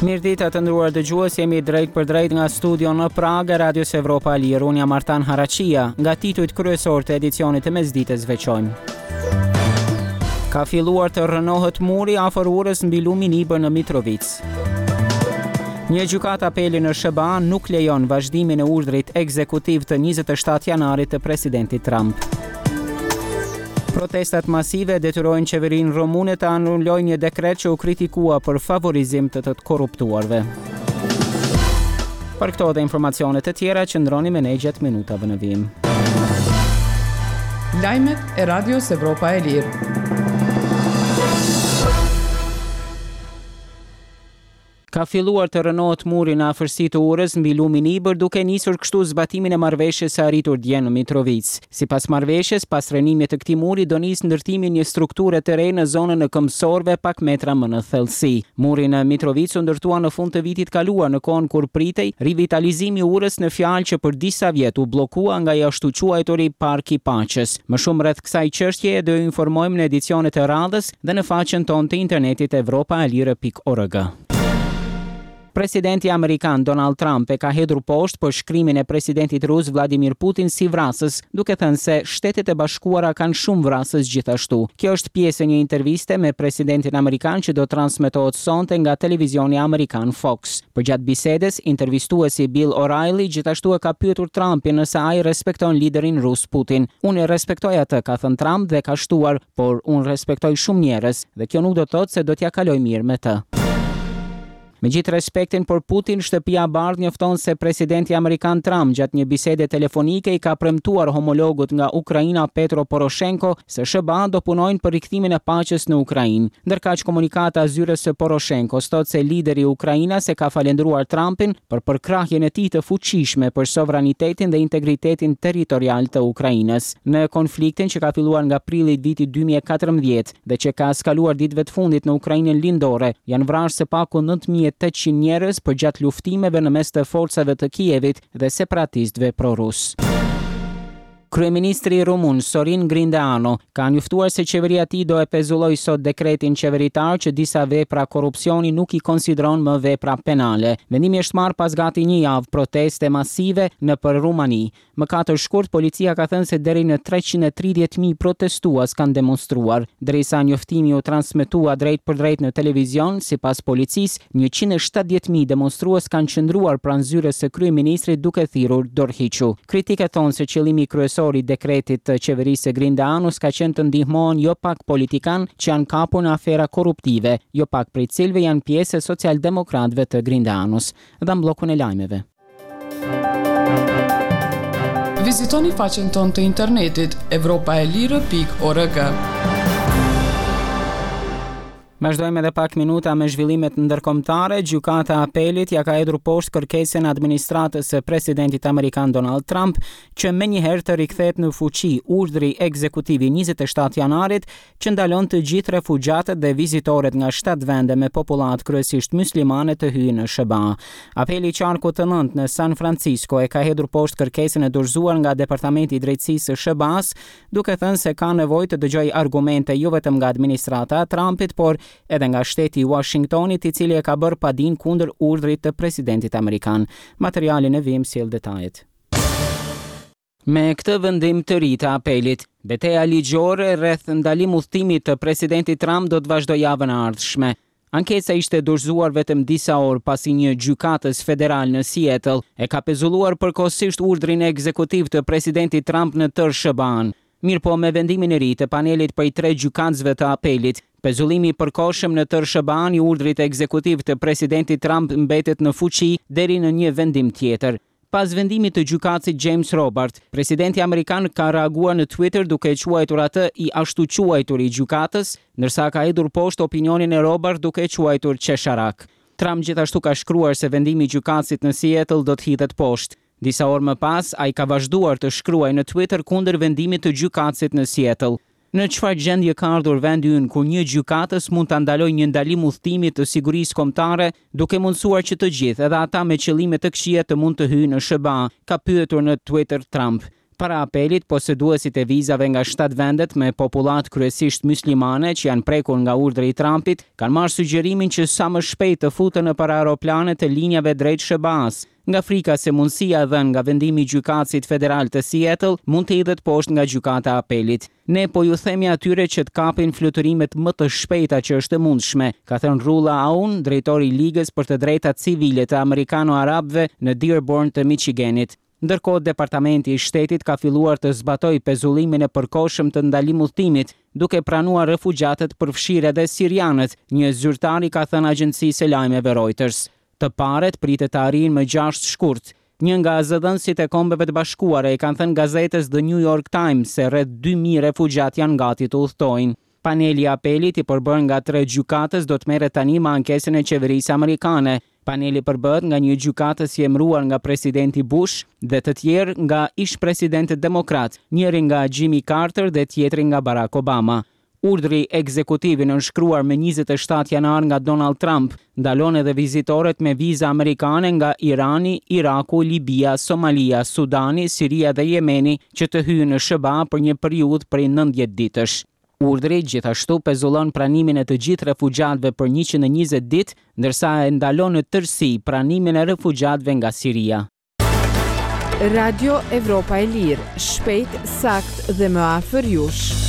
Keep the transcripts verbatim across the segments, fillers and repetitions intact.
Mirëdita, të nderuar dëgjues, jemi drejt për drejt nga studio në Pragë, Radios Evropa e Lirë. Unë jam Artan Haraqia. Nga titujt kryesor të edicionit të mesditës veçojmë. Ka filluar të rrënohet muri afër urës mbi lumin Ibër në Mitrovicë. Një gjykatë apeli në S H B A nuk lejon vazhdimin e urdhrit ekzekutiv të njëzet e shtatë janarit të presidentit Trump. Protestat masive detyrojnë qeverinë rumune të anulojë një dekret që u kritikua për favorizim të të korruptuarve. Për këto dhe informacione të tjera, qëndroni me ne gjatë minutave në vijim. Lajmet e Radios Evropa e Lirë. Ka filluar të rrënohet muri në afërsi të urës mbi lumin Ibër, duke nisur kështu zbatimin e marrëveshjes së arritur dje në Mitrovicë. Sipas marrëveshjes, pas rrënimit të këtij muri do nis ndërtimi i një strukture të re në zonën e këmbësorëve, pak metra më në thellësi. Muri në Mitrovicë u ndërtua në fund të vitit kaluar, në kohën kur pritej rivitalizimi i urës në fjalë, që për disa vjet u bllokua nga i ashtu quajturi Park i Paqes. Më shumë rreth kësaj çështjeje do ju informojmë në edicionet e radhës dhe në faqen tonë të internetit evropaelire pikë org. Presidenti amerikan Donald Trump e ka hedhur poshtë përshkrimin e presidentit rus Vladimir Putin si vrasës, duke thënë se Shtetet e Bashkuara kanë shumë vrasës gjithashtu. Kjo është pjesë e një interviste me presidentin amerikan që do transmetohet sonte nga televizioni amerikan Fox. Përgjatë bisedës, intervistuesi Bill O'Reilly gjithashtu e ka pyetur Trumpin nëse ai respekton liderin rus Putin. "Unë e respektoj atë", ka thënë Trump dhe ka shtuar, "por unë respektoj shumë njerëz dhe kjo nuk do të thotë se do t'ja kaloj mirë me të." Me gjithë respektin për Putin, Shtëpia e Bardhë njofton se presidenti amerikan Trump gjatë një bisede telefonike i ka premtuar homologut nga Ukraina, Petro Poroshenko, se S H B A do punojnë për rikthimin e paqes në Ukrainë. Ndërkaq, komunikata e zyrës së Poroshenko thotë se lideri ukrainas e ka falendëruar Trumpin për përkrahjen e tij të fuqishme për sovranitetin dhe integritetin territorial të Ukrainës. Në konfliktin që ka filluar nga prilli i vitit dy mijë e katërmbëdhjetë dhe që ka eskaluar ditëve të fundit në Ukrainën lindore, janë vrarë së paku nëntë mijë e tetëqind njerëz përgjatë luftimeve në mes të forcave të Kievit dhe separatistëve pro-rus. Kryeministri rumun Sorin Grindeanu ka njoftuar se qeveria e tij do e pezulloj sot dekretin qeveritar që disa vepra korrupsioni nuk i konsideron më vepra penale. Vendimi është marrë pas gati një javë proteste masive nëpër Rumani. Më katër shkurt, policia ka thënë se deri në treqind e tridhjetë mijë protestues kanë demonstruar. Derisa njoftimi u transmetua drejt për drejt në televizion, sipas policisë, njëqind e shtatëdhjetë mijë demonstrues kanë qëndruar pranë zyrës së kryeministrit duke thirrur "dorëhiqu". Kritikët thonë se qëllimi kryesor i dekretit të qeverisë së Grindeanus ka qenë të ndihmohen jo pak politikan që janë kapur në afera korruptive, jo pak prej cilëve janë pjesë e socialdemokratëve të Grindeanus. Dhe në bllokun e lajmeve. Vizitoni faqen tonë të internetit evropaelire pikë org. Vazhdojmë edhe pak minuta me zhvillimet ndërkombëtare. Gjykata e Apelit ja ka hedhur poshtë kërkesën administratës së presidentit amerikan Donald Trump që menjëherë të rikthehet në fuqi urdhri ekzekutiv i njëzet e shtatë janarit që ndalon të gjithë refugjatët dhe vizitorët nga shtatë vende me popullatë kryesisht muslimane të hyjnë në S H B A. Apeli i qarkut të nëntë në San Francisco e ka hedhur poshtë kërkesën e dorëzuar nga Departamenti i Drejtësisë së S H B A-s, duke thënë se ka nevojë të dëgjojë argumente jo vetëm nga administrata e Trumpit, por edhe nga shteti i Washingtonit, i cili e ka bërë padin kundër urdhrit të presidentit amerikan. Materialin e vim sjell detajet. Me këtë vendim të ri të apelit, beteja ligjore rreth ndalim udhëtimit të presidentit Trump do të vazhdojë javën e ardhshme. Ankesa ishte dorëzuar vetëm disa orë pasi një gjykatës federal në Seattle e ka pezulluar përkohësisht urdhrin ekzekutiv të presidentit Trump në tërë S H B A-n. Mirë po, me vendimin e ri të panelit prej tre gjykatësve të apelit, pezullimi i përkohshëm në tërë S H B A-n i urdhrit ekzekutiv të presidentit Trump mbetet në fuqi deri në një vendim tjetër. Pas vendimit të gjykatësit James Robart, presidenti amerikan ka reaguar në Twitter duke e quajtur atë i ashtu quajtur i gjykatës, ndërsa ka hedhur poshtë opinionin e Robart duke e quajtur qesharak. Trump gjithashtu ka shkruar se vendimi i gjykatësit në Seattle do të hidhet poshtë. Disa orë më pas, ai ka vazhduar të shkruajë në Twitter kundër vendimit të gjykatësit në Seattle. "Në çfarë gjendje ka ardhur vendi ynë kur një gjykatës mund ta ndalojë një ndalim udhëtimi të sigurisë kombëtare, duke mundësuar që të gjithë, edhe ata me qëllime të këqija, të mund të hyjnë në S H B A", ka pyetur në Twitter Trump. Para apelit, poseduesit e vizave nga shtatë vendet me popullatë kryesisht muslimane që janë prekur nga urdhri i Trumpit, kanë marrë sugjerimin që sa më shpejt të futen nëpër aeroplane të linjave drejt S H B A-s, nga frika se mundësia e dhënë nga vendimi i gjykatësit federal të Seattle mund të hidhet poshtë nga gjykata e apelit. "Ne po ju themi atyre që të kapin fluturimet më të shpejta që është e mundshme", ka thënë Rula Aun, drejtori i Ligës për të Drejtat Civile të Amerikano-Arabëve në Dearborn të Michiganit. Ndërkohë, Departamenti i Shtetit ka filluar të zbatojë pezullimin e përkohshëm të ndalim udhëtimit, duke pranuar refugjatët, përfshirë edhe sirianët, një zyrtar i ka thënë agjencisë së lajmeve Reuters. Të parët pritet të arrijnë më gjashtë shkurt. Një nga zëdhënësit e Kombeve të Bashkuara i kanë thënë gazetës The New York Times se rreth dy mijë refugjat janë gati të udhëtojnë. Paneli i apelit, i përbërë nga tre gjykatës, do të merret tani me ankesën e qeverisë amerikane. Paneli përbëhet nga një gjykatës i emëruar nga presidenti Bush dhe të tjerë nga ish-presidentët demokrat, njëri nga Jimmy Carter dhe tjetri nga Barack Obama. Urdhri ekzekutiv i nënshkruar me njëzet e shtatë janar nga Donald Trump ndalon edhe vizitorët me viza amerikane nga Irani, Iraku, Libia, Somalia, Sudani, Siria dhe Jemeni që të hyjnë në S H B A për një periudhë prej nëntëdhjetë ditësh. Urdhri gjithashtu pezullon pranimin e të gjithë refugjatëve për njëqind e njëzet ditë, ndërsa e ndalon në tërësi pranimin e refugjatëve nga Siria. Radio Evropa e Lirë, shpejt, sakt dhe më afër jush.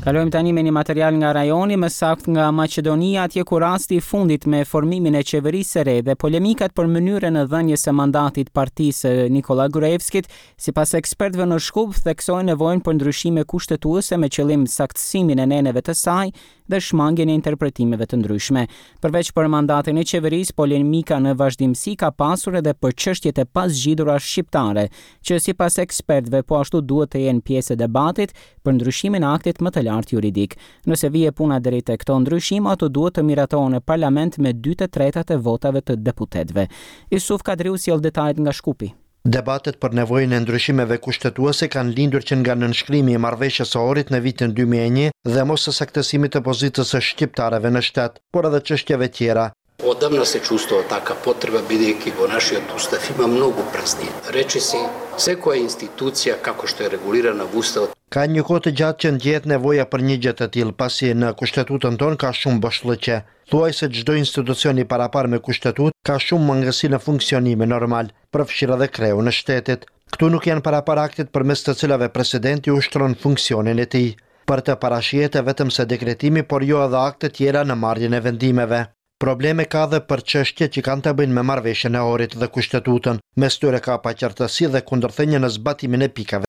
Kalojmë tani me një material nga rajoni, më sakt nga Maqedonia, atje ku rasti i fundit me formimin e qeverisë së re dhe polemikat për mënyrën e dhënies së mandatit partisë së Nikola Gruevskit, sipas ekspertëve në Shkup, theksojnë nevojën për ndryshime kushtetuese me qëllim saktësimin e neneve të saj dhe shmangien e interpretimeve të ndryshme. Përveç për mandatin e qeverisë, polemika në vazhdimësi ka pasur edhe për çështjet e pazgjidhura shqiptare, që sipas ekspertëve po ashtu duhet të jenë pjesë e debatit për ndryshimin e aktit më të lartë juridik. Nëse vije puna deri te këto ndryshime, ato duhet të miratohen në parlament me dy të tretat e votave të deputetëve. Isuf Kadriu sjell detajet nga Shkupi. Debatet për nevojën e ndryshimeve kushtetuese kanë lindur që nga nënshkrimi i marrëveshjes së Ohrit në vitin dy mijë e një dhe mos së saktësimit të pozitës së shqiptarëve në shtet, por edhe çështjeve tjera. Odavna se чувствува така потреба, бидејќи во нашиот устав има многу празнини. Речиси секоја институција како што е регулирана во уставот. Ka një kohë të gjatë që ndjehet nevoja për një gjë të tillë, pasi në kushtetutën tonë ka shumë boshllëqe. Thuaj se çdo institucion i parapar me kushtetutë ka shumë mangësi në funksionimin normal, përfshirë edhe kreun e shtetit. Këtu nuk janë parapar aktet përmes të cilave presidenti ushtron funksionin e tij. Për të parashihet vetëm se dekretimi, por jo edhe akte tjera në marrjen e vendimeve. Probleme ka dhe për çështje që kanë të bëjnë me marrëveshjen e Ohrit dhe kushtetutën. Mes tyre ka paqartësi dhe kundërthënie në zbatimin e pikave.